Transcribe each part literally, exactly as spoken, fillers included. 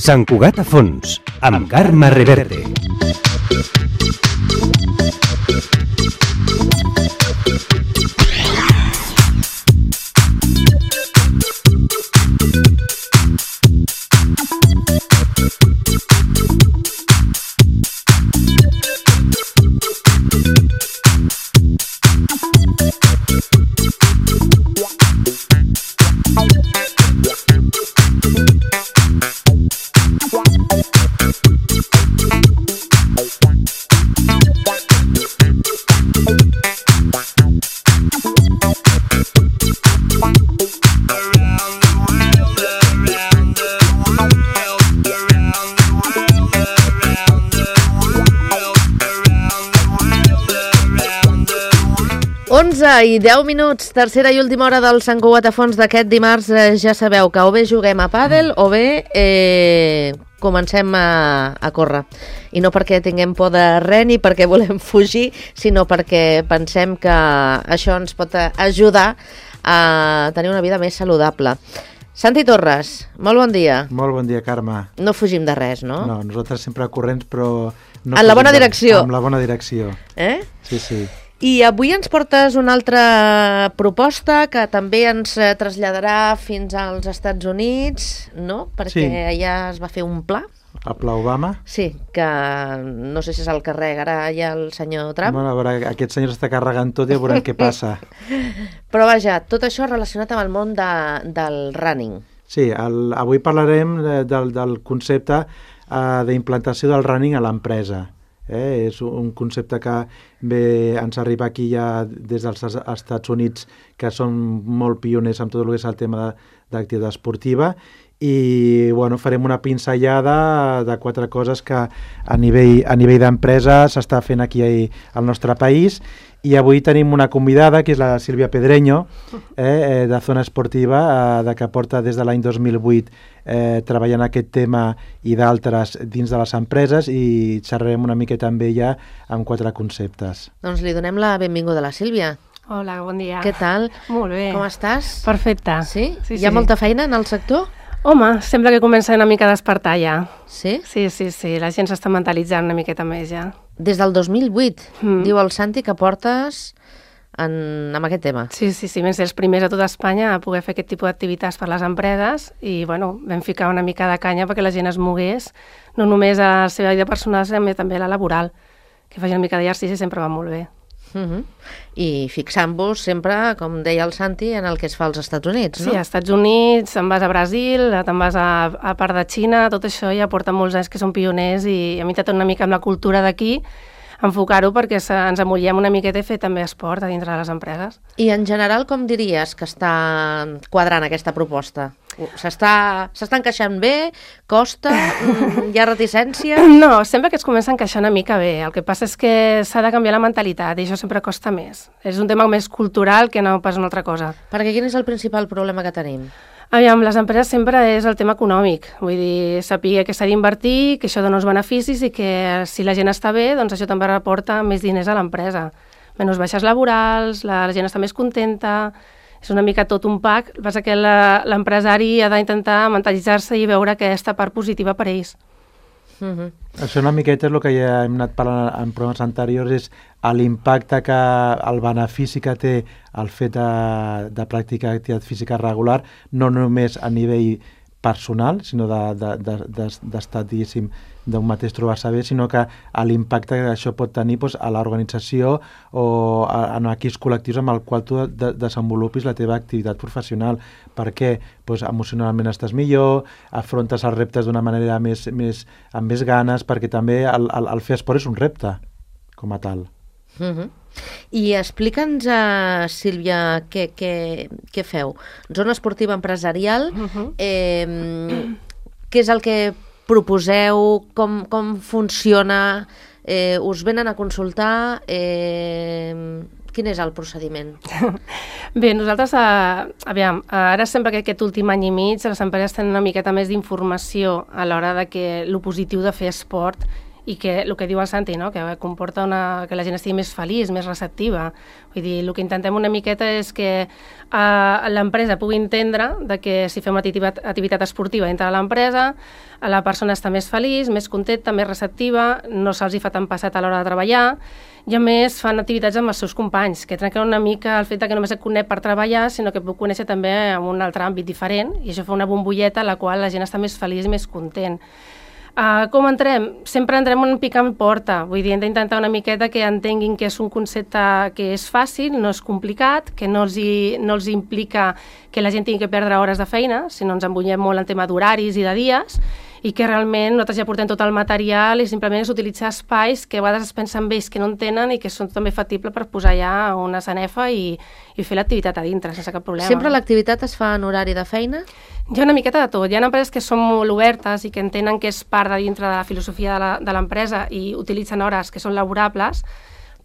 Sant Cugat a fons, amb Carme Reverte. onze i deu minuts, tercera i última hora del Sant Cugat a fons d'aquest dimarts. Eh, ja sabeu que o bé juguem a pàdel o bé eh, comencem a, a córrer. I no perquè tinguem por de res ni perquè volem fugir, sinó perquè pensem que això ens pot ajudar a tenir una vida més saludable. Santi Torres, molt bon dia. Molt bon dia, Carme. No fugim de res, no? No, nosaltres sempre corrents, però... No en la bona de... direcció. En la bona direcció. Eh? Sí, sí. I avui ens portes una altra proposta que també ens traslladarà fins als Estats Units, no? Perquè sí. allà es va fer un pla. El pla Obama? Sí, que no sé si se'l carregarà ja el senyor Trump. Bueno, a veure, aquest senyor està carregant tot i ja veurem què passa. Però vaja, tot això relacionat amb el món de, del running. Sí, el, avui parlarem del, del concepte uh, d'implantació del running a l'empresa. Eh? És un concepte que bé, ens arriba aquí ja des dels Estats Units, que són molt pioners amb tot el que és el tema d'activitat esportiva, i bueno, farem una pinzellada de quatre coses que a nivell, a nivell d'empresa s'està fent aquí al nostre país. I avui tenim una convidada, que és la Sílvia Pedreño, eh, de Zona Esportiva, eh, de que porta des de l'any dos mil vuit eh, treballant aquest tema i d'altres dins de les empreses, i xerrarem una miqueta amb ella amb quatre conceptes. Doncs li donem la benvinguda a la Sílvia. Hola, bon dia. Què tal? Molt bé. Com estàs? Perfecte. Sí? Sí, Hi ha sí. molta feina en el sector? Home, sembla que comença una mica a despertar ja. Sí? Sí, sí, sí, la gent s'està mentalitzant una miqueta més ja. Des del dos mil vuit, Mm. diu el Santi, que portes en, amb aquest tema. Sí, sí, sí, vam ser els primers a tota Espanya a poder fer aquest tipus d'activitats per les empreses i, bueno, vam ficar una mica de canya perquè la gent es mogués, no només a la seva vida personal, sinó també a la laboral, que faci una mica d'exercici sempre va molt bé. Uh-huh. I fixant-vos sempre, com deia el Santi, en el que es fa als Estats Units, no? Sí, als Estats Units, te'n vas a Brasil, te'n vas a, a part de Xina, tot això ja porta molts anys que són pioners i a mi t'ha una mica amb la cultura d'aquí, enfocar-ho perquè se, ens amullem una miqueta i fer també esport a dintre de les empreses. I en general, com diries que està quadrant aquesta proposta? S'està s'està encaixant bé? Costa? Hi ha reticència? No, sempre que es comença a encaixar una mica bé. El que passa és que s'ha de canviar la mentalitat i això sempre costa més. És un tema més cultural que no pas una altra cosa. Perquè quin és el principal problema que tenim? Aviam, les empreses sempre és el tema econòmic. Vull dir, saber que s'ha d'invertir, que això dona uns beneficis i que si la gent està bé, doncs això també reporta més diners a l'empresa. Menys baixes laborals, la, la gent està més contenta, és una mica tot un pack. El que passa que la, l'empresari ha d'intentar mentalitzar-se i veure aquesta part positiva per a ells. Uh-huh. Això una miqueta és el que ja hem anat parlant en programes anteriors, és l'impacte que el benefici que té el fet de, de practicar activitat física regular, no només a nivell personal, sinó d'estar, de, de, de, diguéssim, d'un mateix trobar-se bé, sinó que l'impacte que això pot tenir doncs, a l'organització o a, en aquells col·lectius amb el qual tu de, desenvolupis la teva activitat professional. Per què? Doncs emocionalment estàs millor, afrontes els reptes d'una manera més, més, amb més ganes, perquè també el, el, el fer esport és un repte, com a tal. Uh-huh. I explica'ns, uh, Sílvia, què, què, què feu? Zona esportiva empresarial, Uh-huh. eh, què és el que proposeu, com, com funciona, eh, us venen a consultar, eh, quin és el procediment? Bé, nosaltres, eh, aviam, ara sembla que aquest últim any i mig les empreses tenen una miqueta més d'informació a l'hora de que lo positiu de fer esport i que el que diu el Santi, no? Que comporta una, que la gent estigui més feliç, més receptiva. Vull dir, el que intentem una miqueta és que uh, l'empresa pugui entendre de que si fem una activitat, activitat esportiva dintre de l'empresa, la persona està més feliç, més contenta, més receptiva, no se'ls hi fa tan passat a l'hora de treballar, i a més fan activitats amb els seus companys, que trenquen una mica el fet que només et conec per treballar, sinó que puc conèixer també en un altre àmbit diferent, i això fa una bombolleta a la qual la gent està més feliç i més content. Uh, com entrem? Sempre entrem un picant porta, vull dir, hem d'intentar una miqueta que entenguin que és un concepte que és fàcil, no és complicat, que no els, hi, no els implica que la gent tingui que perdre hores de feina, sinó ens embunyem molt en tema d'horaris i de dies, i que realment nosaltres ja portem tot el material i simplement és utilitzar espais que a vegades es pensen ells que no en tenen i que són també factibles per posar ja una sanefa i, i fer l'activitat a dintre, sense cap problema. Sempre l'activitat es fa en horari de feina? Hi ha una miqueta de tot. Hi ha empreses que són molt obertes i que entenen que és part de dintre de la filosofia de l'empresa i utilitzen hores que són laborables,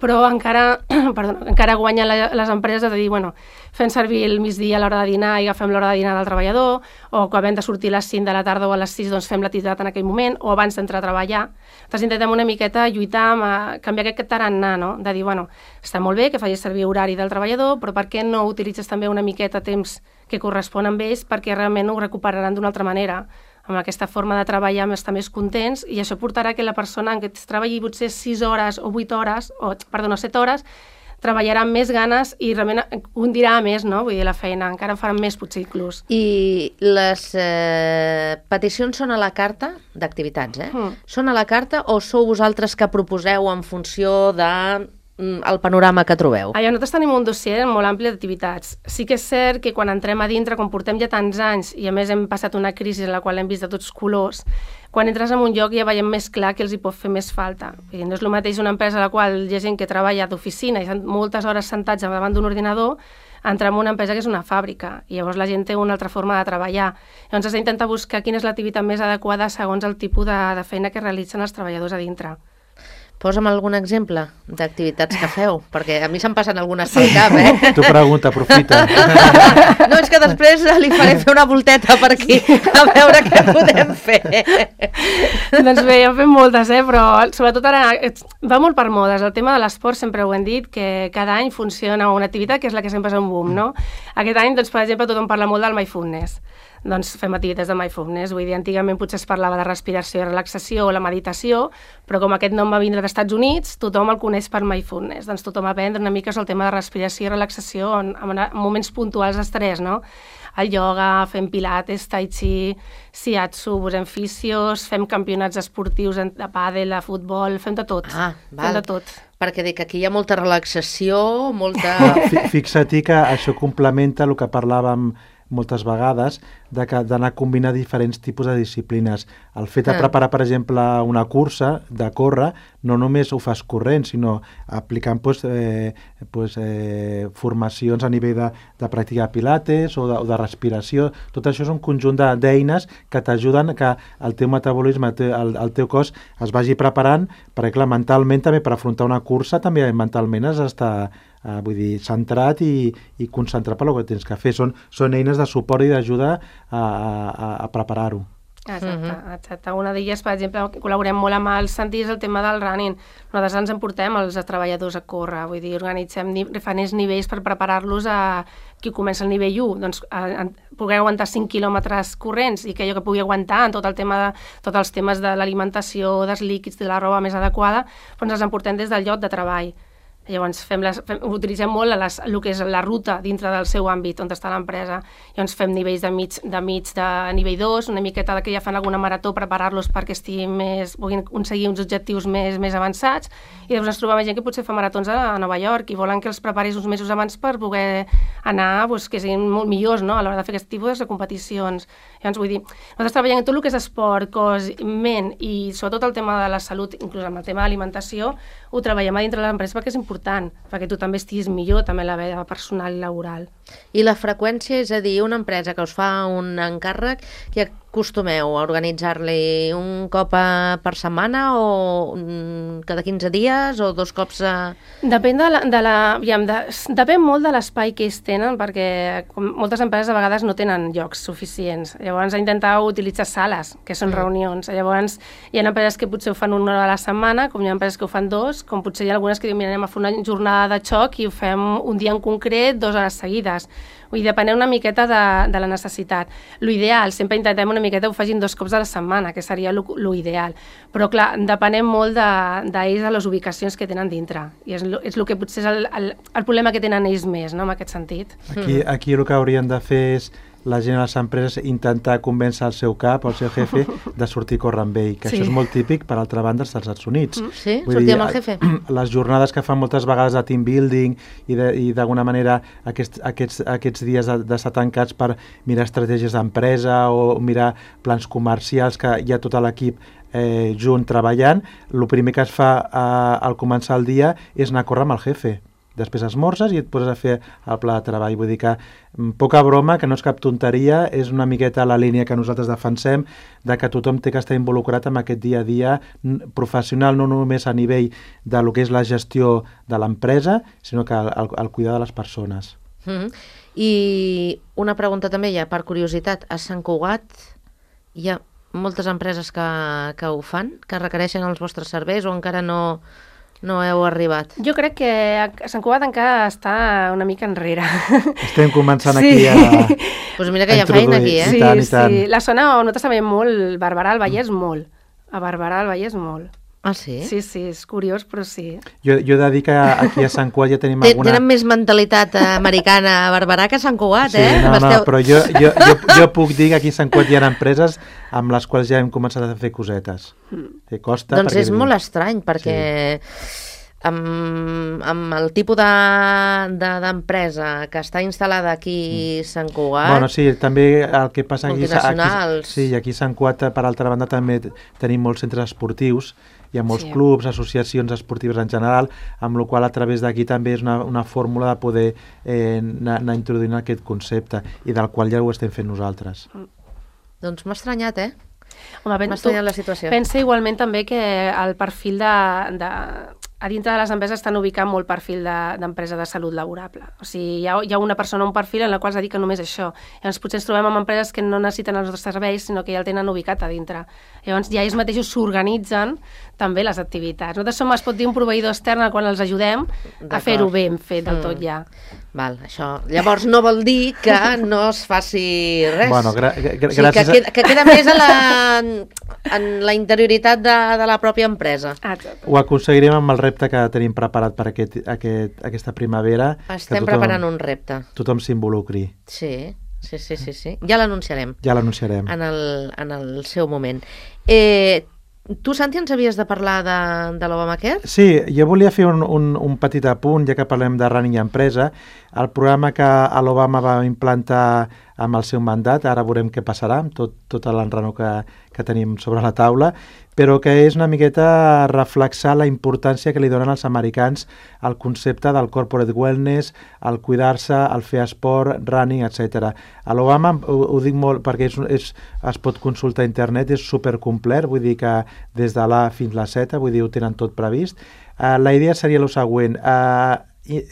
però encara, perdó, encara guanyen les empreses de dir, bueno, fem servir el migdia a l'hora de dinar i agafem l'hora de dinar del treballador, o quan hem de sortir a les cinc de la tarda o a les sis, doncs fem l'activitat en aquell moment, o abans d'entrar a treballar. Entonces intentem una miqueta lluitar amb a canviar aquest tarannà, no? De dir, bueno, està molt bé que facis servir horari del treballador, però per què no utilitzes també una miqueta temps que correspon amb ells perquè realment ho recuperaran d'una altra manera? Amb aquesta forma de treballar estar més contents i això portarà que la persona que treballi potser sis hores o vuit hores, o, perdó, set hores, treballarà amb més ganes i realment hundirà més, no? Vull dir, la feina, encara en faran més potser inclús. I les eh, peticions són a la carta d'activitats, eh? Mm. Són a la carta o sou vosaltres que proposeu en funció de el panorama que trobeu? Allà, nosaltres tenim un dossier molt ampli d'activitats. Sí que és cert que quan entrem a dintre, quan portem ja tants anys i a més hem passat una crisi en la qual hem vist de tots colors, quan entres en un lloc ja veiem més clar que els hi pot fer més falta. No és el mateix una empresa a la qual hi ha gent que treballa d'oficina i estan moltes hores sentats davant d'un ordinador, entrar en una empresa que és una fàbrica i llavors la gent té una altra forma de treballar. Llavors has d'intentar buscar quina és l'activitat més adequada segons el tipus de, de feina que realitzen els treballadors a dintre. Posa'm algun exemple d'activitats que feu, perquè a mi se'm passen algunes pel cap, eh? Tu pregunta, aprofita. No, és que després li faré fer una volteta per aquí, a veure què podem fer. Doncs bé, ja fem moltes, eh? Però sobretot ara va molt per modes. El tema de l'esport sempre ho hem dit, que cada any funciona una activitat que és la que sempre és un boom, no? Aquest any, doncs, per exemple, tothom parla molt del mindfulness. Doncs fem activitats de mindfulness. Vull dir, antigament potser es parlava de respiració i relaxació o la meditació, però com aquest nom va vindre dels Estats Units, tothom el coneix per mindfulness. Doncs tothom aprendre una mica el tema de respiració i relaxació en, en moments puntuals d'estrès, no? El ioga, fem pilates, tai chi, shiatsu, posem fisios, fem campionats esportius de pàdel, de futbol, fem de tot. Ah, val. Fem de tot. Perquè dic, aquí hi ha molta relaxació, molta... Fixa-t'hi que això complementa el que parlàvem moltes vegades, d'anar a combinar diferents tipus de disciplines. El fet de preparar, per exemple, una cursa de córrer, no només ho fas corrent, sinó aplicant pues, eh, pues, eh, formacions a nivell de, de pràctica de pilates o de, o de respiració. Tot això és un conjunt d'eines que t'ajuden que el teu metabolisme, el, el teu cos es vagi preparant, perquè clar, mentalment també per afrontar una cursa també mentalment has d'estar Uh, vull dir, centrat i, i concentrat per el que tens que fer. Són, són eines de suport i d'ajuda a, a, a preparar-ho. Exacte, uh-huh. exacte. Una d'elles, per exemple, col·laborem molt amb els Santi, és el tema del running. Nosaltres ens emportem els treballadors a córrer, vull dir, organitzem diferents nivells per preparar-los a qui comença el nivell u, doncs a, a poder aguantar cinc quilòmetres corrents i que allò que pugui aguantar en tot el tema de, tots els temes de l'alimentació, dels líquids, de la roba més adequada, doncs els emportem des del lloc de treball. Llavors fem les, fem, utilitzem molt les, el que és la ruta dintre del seu àmbit on està l'empresa. Llavors fem nivells de mig de, mig de nivell dos, una miqueta que ja fan alguna marató, preparar-los perquè estiguin més, puguin aconseguir uns objectius més, més avançats, i llavors ens trobem gent que potser fa maratons a, a Nova York i volen que els preparis uns mesos abans per poder anar, doncs, que siguin molt millors, no?, a l'hora de fer aquest tipus de competicions. Llavors vull dir, nosaltres treballem en tot el que és esport, cos, ment i sobretot el tema de la salut, inclús amb el tema de l'alimentació, ho treballem a dintre de l'empresa perquè és important important, perquè tu també estiguis millor, també la vida personal i laboral. I la freqüència, és a dir, una empresa que us fa un encàrrec, que costumeu a organitzar-li? Un cop a, per setmana o mm, cada quinze dies o dos cops a... Depèn de la... De la aviam, de, depèn molt de l'espai que ells tenen, perquè com moltes empreses a vegades no tenen llocs suficients. Llavors intentau utilitzar sales, que són mm. reunions. Llavors hi ha empreses que potser ho fan una hora a la setmana, com hi ha empreses que ho fan dos, com potser hi ha algunes que diuen, mira, anem a fer una jornada de xoc i ho fem un dia en concret, dues hores seguides. Vull dir, depenent una miqueta de, de la necessitat. L'ideal, sempre intentem una miqueta ho facin dos cops a la setmana, que seria l'ideal. Però, clar, depenem molt d'ells de, de les ubicacions que tenen dintre. I és, és el que potser és el, el, el problema que tenen ells més, no?, en aquest sentit. Aquí, aquí el que haurien de fer és la gent a les empreses intentar convèncer el seu cap, el seu jefe, de sortir a córrer amb ell, que sí. Això és molt típic, per altra banda, als Estats Units. Sí? Vull sortir dir, amb el jefe? Les jornades que fan moltes vegades de team building i d'alguna manera aquests, aquests, aquests dies d'estar tancats per mirar estratègies d'empresa o mirar plans comercials, que hi ha tot l'equip eh, junt treballant, el primer que es fa eh, al començar el dia és anar a córrer amb el jefe. Després esmorzes i et poses a fer el pla de treball. Vull dir que, poca broma, que no és cap tonteria, és una miqueta la línia que nosaltres defensem, de que tothom té que estar involucrat en aquest dia a dia professional, no només a nivell de lo que és la gestió de l'empresa, sinó que el, el cuidar de les persones. Mm-hmm. I una pregunta també ja, per curiositat, a Sant Cugat hi ha moltes empreses que, que ho fan, que requereixen els vostres serveis o encara no... no heu arribat? Jo crec que a Sant Cugat encara està una mica enrere. Estem començant sí. aquí a... Pues mira que hi ha feina aquí, eh? Sí, I tant, i tant. sí. La zona on nosaltres sabem molt, Barberà del Vallès molt. A Barberà del Vallès molt. Ah, sí? Sí, sí, és curiós, però sí. Jo, jo he de dir que aquí a Sant Cugat ja tenim T alguna... Tenen més mentalitat americana a Barberà que a Sant Cugat, sí, eh? No, Esteu... no, però jo, jo, jo, jo puc dir que aquí a Sant Cugat hi ha empreses amb les quals ja hem començat a fer cosetes. Que costa... Doncs perquè... és molt estrany, perquè... Sí. Amb, amb el tipus d'empresa de, de, que està instal·lada aquí a Sant Cugat... Bueno, sí, també el que passa aquí... Multinacionals... Aquí, sí, aquí a Sant Cugat, per altra banda, també tenim molts centres esportius, hi ha molts sí. clubs, associacions esportives en general, amb la qual a través d'aquí també és una, una fórmula de poder eh, anar, anar introduint aquest concepte, i del qual ja ho estem fent nosaltres. Doncs m'ha estranyat, eh? Home, m'ha estranyat la situació. Pensa igualment també que el perfil de... de... a dintre de les empreses estan ubicant molt perfil d'empresa de, de salut laborable. O sigui, hi ha, hi ha una persona, un perfil en la qual es dedica només a això. Llavors potser ens trobem amb empreses que no necessiten els nostres serveis, sinó que ja el tenen ubicat a dintre. Llavors ja ells mateixos s'organitzen també les activitats. Nosaltres som, es pot dir, un proveïdor extern al qual els ajudem a fer-ho ben fet del tot ja. Val, això. Llavors no vol dir que no es faci res. Bueno, gra gra o sigui, que, queda, que queda més a la, en la interioritat de, de la pròpia empresa. Exacte. Ho aconseguirem amb el repte que tenim preparat per aquest, aquest, aquesta primavera. Estem tothom, preparant un repte. Tothom s'involucri. Sí, sí, sí, sí, sí. Ja l'anunciarem. Ja l'anunciarem. En, el, en el seu moment. Eh, tu, Santi, ens havies de parlar de, de l'Obamacare? Sí, jo volia fer un, un, un petit apunt, ja que parlem de running i empresa. El programa que l'Obama va implantar amb el seu mandat, ara veurem què passarà amb tot, tot l'enrenou que, que tenim sobre la taula, però que és una miqueta reflexar la importància que li donen els americans al concepte del corporate wellness, al cuidar-se, al fer esport, running, etcètera. A l'Obama, ho, ho dic molt perquè és, és, es pot consultar a internet, és supercomplet, vull dir que des de l'A fins a la Z, vull dir, ho tenen tot previst. Uh, la idea seria el següent, uh,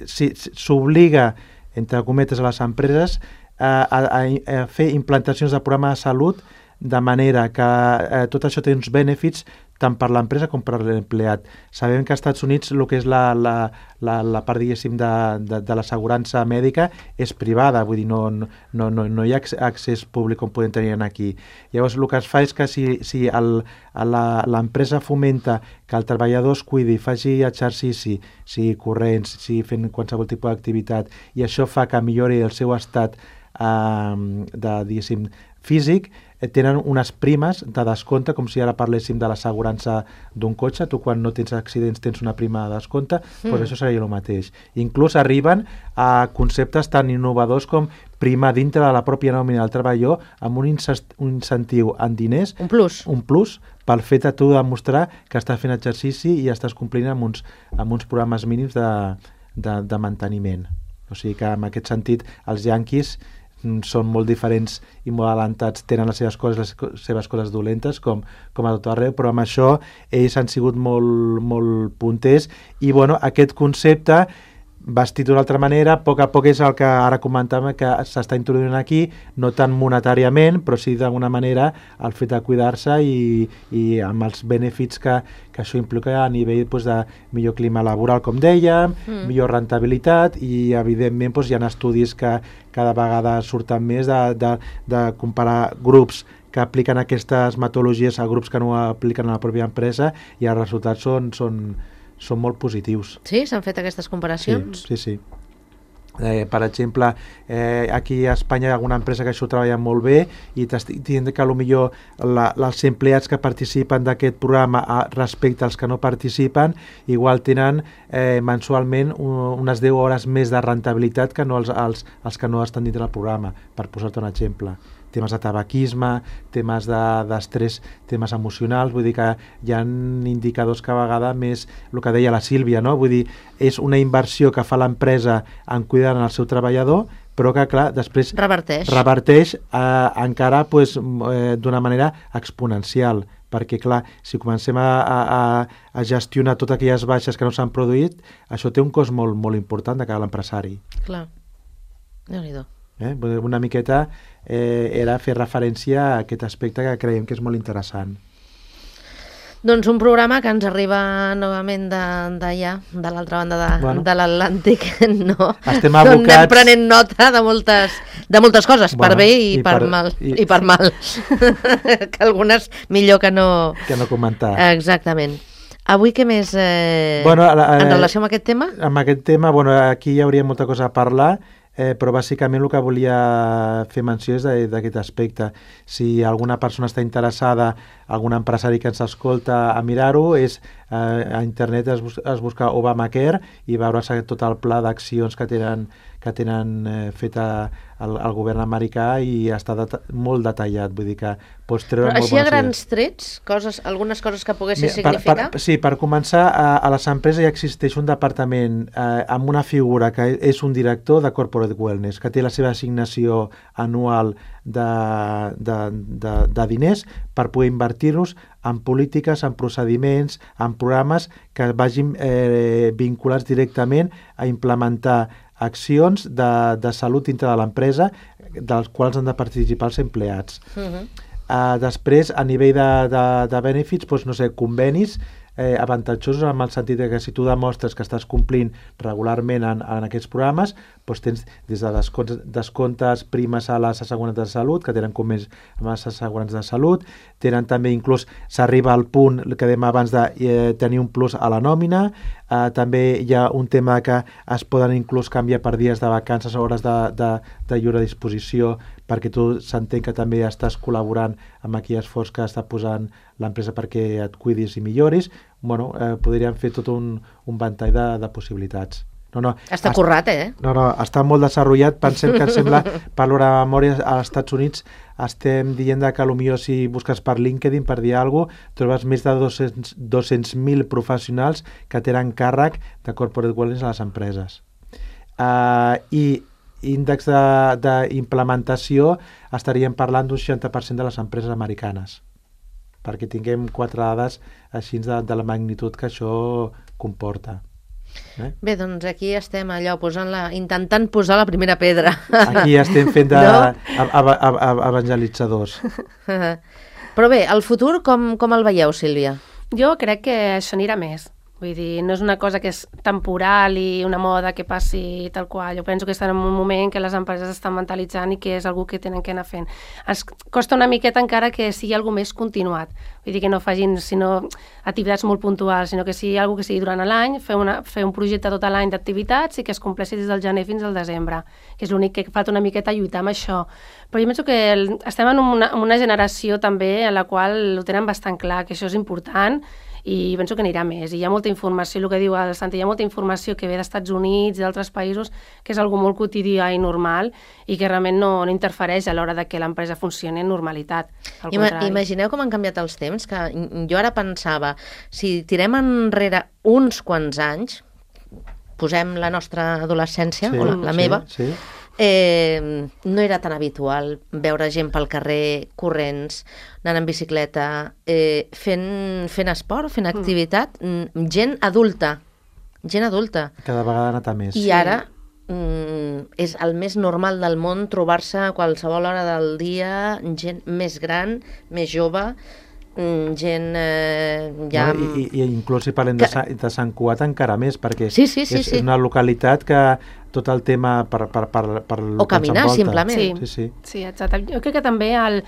si s'obliga, entre cometes, a les empreses a, a, a fer implantacions de programa de salut de manera que eh, tot això té uns benefits tant per l'empresa com per l'empleat. Sabem que als Estats Units el que és la, la, la, la part, diguéssim, de, de, de l'assegurança mèdica és privada, vull dir, no, no, no, no hi ha accés públic com podem tenir aquí. Llavors, el que es fa és que si, si l'empresa fomenta que el treballador es cuidi, faci exercici, sigui corrents, sigui fent qualsevol tipus d'activitat, i això fa que millori el seu estat eh, de, diguéssim, físic, tenen unes primes de descompte, com si ara parléssim de l'assegurança d'un cotxe. Tu, quan no tens accidents, tens una prima de descompte, mm. doncs això seria el mateix. Inclús arriben a conceptes tan innovadors com prima dintre de la pròpia nòmina del treballador amb un, un incentiu en diners, un plus, un plus pel fet de tu demostrar que estàs fent exercici i estàs complint amb uns, amb uns programes mínims de, de, de manteniment. O sigui que en aquest sentit els yanquis són molt diferents i molt adelantats, tenen les seves coses, les seves coses dolentes, com, com a tot arreu, però amb això ells han sigut molt, molt punters i bueno, aquest concepte vestit d'una altra manera, a poc a poc és el que ara comentàvem que s'està introduint aquí, no tant monetàriament, però sí d'alguna manera el fet de cuidar-se i, i amb els benefits que, que això implica a nivell doncs, de millor clima laboral, com dèiem, mm. millor rentabilitat i evidentment doncs, hi ha estudis que cada vegada surten més de, de, de comparar grups que apliquen aquestes metodologies a grups que no apliquen a la pròpia empresa i els resultats són, són són molt positius. Sí? S'han fet aquestes comparacions? Sí, sí. sí. Eh, per exemple, eh, aquí a Espanya hi ha alguna empresa que això treballa molt bé i t'estic dient que potser la, els empleats que participen d'aquest programa a, respecte als que no participen igual tenen eh, mensualment un, unes deu hores més de rentabilitat que no els, els, els que no estan dintre del programa, per posar-te un exemple. Temes de tabaquisme, temes d'estrès, de, temes emocionals, vull dir que hi ha indicadors que a vegades més, el que deia la Sílvia, no? Vull dir, és una inversió que fa l'empresa en cuidar el seu treballador, però que, clar, després reverteix, reverteix eh, encara pues, eh, d'una manera exponencial, perquè, clar, si comencem a, a, a gestionar totes aquelles baixes que no s'han produït, això té un cost molt, molt important de cara a l'empresari. Clar, Déu-n'hi-do. Eh? Una miqueta eh, era fer referència a aquest aspecte que creiem que és molt interessant. Doncs un programa que ens arriba novament d'allà, de, de l'altra banda de, bueno, de l'Atlàntic, no? Estem abocats... Anem prenent nota de moltes, de moltes coses, bueno, per bé i, i per, per mal. I, i per mal. Que algunes millor que no... Que no comentar. Exactament. Avui què més eh, bueno, eh, en relació amb aquest tema? Amb aquest tema, bueno, aquí hi hauria molta cosa a parlar, Eh, però bàsicament el que volia fer menció és d'aquest aspecte. Si alguna persona està interessada, algun empresari que ens escolta a mirar-ho, és eh, a internet es, bus es busca Obamacare i veure tot el pla d'accions que tenen, que tenen eh, fet a, el, el govern americà i està deta molt detallat, vull dir que pots treure... Però molt així a grans idees. trets, coses, algunes coses que poguessin Mira, significar? Per, per, sí, per començar, a, a les empreses ja existeix un departament eh, amb una figura que és un director de Corporate Wellness, que té la seva assignació anual de, de, de, de diners per poder invertir-los en polítiques, en procediments, en programes que vagin eh, vinculats directament a implementar accions de, de salut dintre de l'empresa, dels quals han de participar els empleats. Uh-huh. uh, després, a nivell de, de, de benefits, doncs, no sé, convenis eh, avantatjosos en el sentit que si tu demostres que estàs complint regularment en, en aquests programes, doncs tens des de descomptes, descomptes primes a les assegurances de salut, que tenen convenis amb les assegurances de salut, tenen també inclús, s'arriba al punt que dèiem abans de eh, tenir un plus a la nòmina, eh, també hi ha un tema que es poden inclús canviar per dies de vacances o hores de, de, de lliure disposició, perquè tu s'entén que també estàs col·laborant amb aquell esforç que està posant l'empresa perquè et cuidis i milloris. Bueno, eh, podríem fer tot un, un ventall de, de possibilitats. No, no, està currat, eh? No, no, està molt desenvolupat. Pensem que, em sembla, per l'hora de memòria, als Estats Units estem dient que potser si busques per LinkedIn, per dir alguna cosa, trobes més de dos-cents mil professionals que tenen càrrec de corporate wellness a les empreses. Uh, I índex d'implementació estaríem parlant d'un seixanta per cent de les empreses americanes, perquè tinguem quatre dades així de, de la magnitud que això comporta. Eh? Bé, doncs aquí estem allò posant la, intentant posar la primera pedra. Aquí estem fent de no? evangelitzadors. Però bé, el futur com, com el veieu, Sílvia? Jo crec que això anirà més. Vull dir, no és una cosa que és temporal i una moda que passi tal qual. Jo penso que estan en un moment que les empreses estan mentalitzant i que és algú que tenen que anar fent. Es costa una miqueta encara que sigui algo més continuat. Vull dir que no facin sinó activitats molt puntuals, sinó que sigui algo que sigui durant l'any, fer, una, fer un projecte tot l'any d'activitats i que es compleixi des del gener fins al desembre, que és l'únic que falta una miqueta lluitar amb això. Però jo penso que el, estem en una, en una generació també en la qual ho tenen bastant clar, que això és important, i penso que anirà més. I hi ha molta informació, el que diu el Santi, hi ha molta informació que ve d'Estats Units i d'altres països, que és algo molt quotidià i normal i que realment no, no interfereix a l'hora de que l'empresa funcioni en normalitat. Al Ima Imagineu com han canviat els temps, que jo ara pensava, si tirem enrere uns quants anys, posem la nostra adolescència, sí, o la, la sí, meva, sí. eh, no era tan habitual veure gent pel carrer, corrents, anant en bicicleta, eh, fent, fent esport, fent activitat, mm. gent adulta, gent adulta. Cada vegada ha anat a més. I ara mm, és el més normal del món trobar-se a qualsevol hora del dia gent més gran, més jove, gent eh, ja... No, i, i inclús si parlem que... de, Sant, de Sant Cugat encara més, perquè sí, sí, sí, és sí. una localitat que tot el tema per, per, per, per o caminar simplement. Sí, sí, sí. sí, exacte. Jo crec que també el,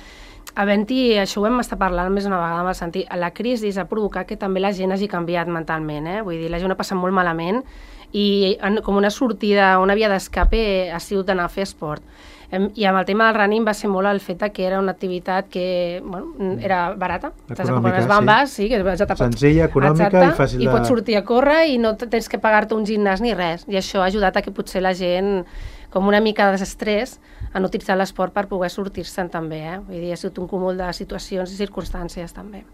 havent-hi, això ho hem estat parlant més una vegada amb el sentit, la crisi ha provocat que també la gent hagi canviat mentalment, eh? Vull dir, la gent ha passat molt malament i en, com una sortida, una via d'escape ha sigut anar a fer esport. I amb el tema del running va ser molt el fet que era una activitat que bueno, era barata. T'has de comprar unes bambes, sí. sí que vas a tapar. Senzilla, econòmica exacte, i fàcil de... I pots sortir a córrer i no tens que pagar-te un gimnàs ni res. I això ha ajudat a que potser la gent, com una mica de desestrès, han utilitzat l'esport per poder sortir-se'n també. Eh? Vull dir, ha sigut un cúmul de situacions i circumstàncies també.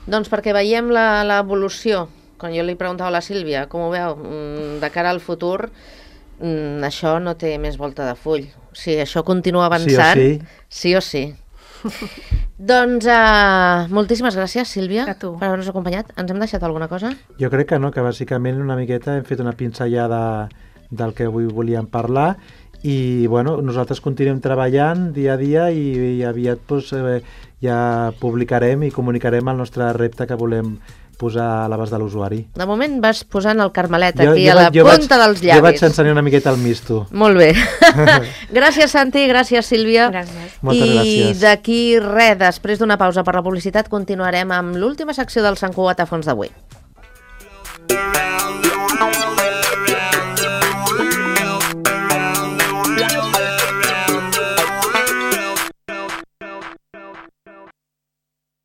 Doncs perquè veiem l'evolució. Quan jo li preguntava a la Sílvia, com ho veu, de cara al futur... Mm, això no té més volta de full. Si això continua avançant, sí o sí. Sí o sí. Doncs uh, moltíssimes gràcies, Sílvia, per haver-nos acompanyat. Ens hem deixat alguna cosa? Jo crec que no, que bàsicament una miqueta hem fet una pinzellada del que avui volíem parlar i bueno, nosaltres continuem treballant dia a dia i, i aviat pues, eh, ja publicarem i comunicarem el nostre repte que volem posar a l'abast de l'usuari. De moment vas posant el Carmelet jo, aquí jo, a la punta vaig, dels llavis. Jo vaig ensenyar una miqueta el misto. Molt bé. Gràcies, Santi, gràcies, Sílvia. Gràcies. Moltes I gràcies. d'aquí res, després d'una pausa per la publicitat, continuarem amb l'última secció del Sant Cugat a fons d'avui.